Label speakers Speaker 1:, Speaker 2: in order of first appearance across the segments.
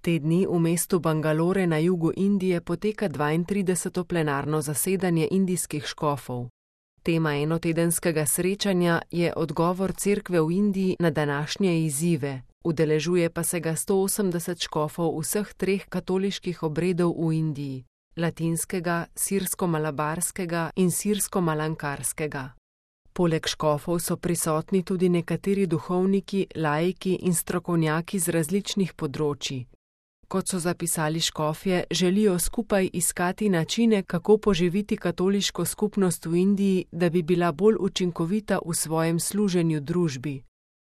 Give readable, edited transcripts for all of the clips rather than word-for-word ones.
Speaker 1: Te dni v mestu Bangalore na jugu Indije poteka 32. plenarno zasedanje indijskih škofov. Tema enotedenskega srečanja je odgovor cerkve v Indiji na današnje izzive, udeležuje pa se ga 180 škofov vseh treh katoliških obredov v Indiji: latinskega, sirsko-malabarskega in sirsko-malankarskega. Poleg škofov so prisotni tudi nekateri duhovniki, laiki in strokovnjaki z različnih področij. Kot so zapisali škofje, želijo skupaj iskati načine, kako poživiti katoliško skupnost v Indiji, da bi bila bolj učinkovita v svojem služenju družbi.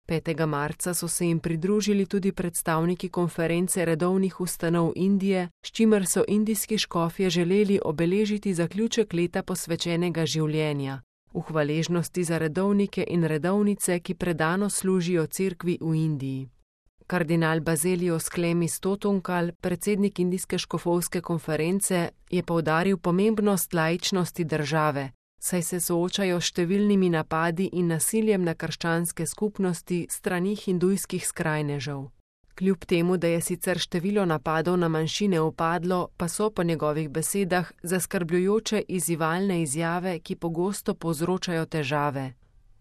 Speaker 1: 5. marca so se jim pridružili tudi predstavniki konference redovnih ustanov Indije, s čimer so indijski škofje želeli obeležiti zaključek leta posvečenega življenja, v hvaležnosti za redovnike in redovnice, ki predano služijo cerkvi v Indiji. Kardinal Baselios Klemis Totunkal, predsednik Indijske škofovske konference, je poudaril pomembnost laičnosti države, saj se soočajo s številnimi napadi in nasiljem na krščanske skupnosti strani hindujskih skrajnežev. Kljub temu, da je sicer število napadov na manjšine upadlo, pa so po njegovih besedah zaskrbljujoče izzivalne izjave, ki pogosto povzročajo težave.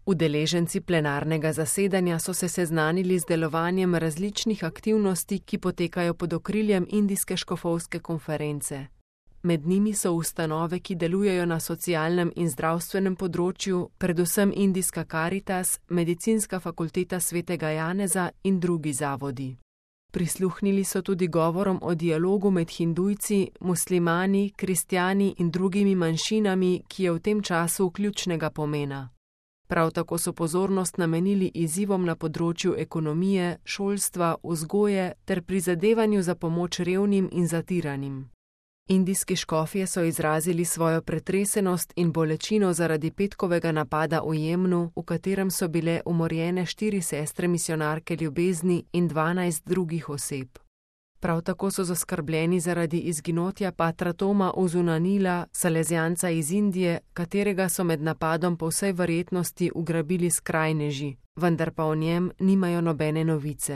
Speaker 1: Udeleženci plenarnega zasedanja so se seznanili z delovanjem različnih aktivnosti, ki potekajo pod okriljem Indijske škofovske konference. Med njimi so ustanove, ki delujejo na socialnem in zdravstvenem področju, predvsem Indijska Karitas, Medicinska fakulteta svetega Janeza in drugi zavodi. Prisluhnili so tudi govorom o dialogu med Hindujci, muslimani, kristjani in drugimi manjšinami, ki je v tem času ključnega pomena. Prav tako so pozornost namenili izzivom na področju ekonomije, šolstva, vzgoje ter prizadevanju za pomoč revnim in zatiranim. Indijski škofje so izrazili svojo pretresenost in bolečino zaradi petkovega napada v Jemnu, v katerem so bile umorjene 4 sestre misijonarke ljubezni in 12 drugih oseb. Prav tako so zaskrbljeni zaradi izginotja patra Toma Uzunanila, salezijanca iz Indije, katerega so med napadom po vsej verjetnosti ugrabili skrajneži, vendar pa o njem nimajo nobene novice.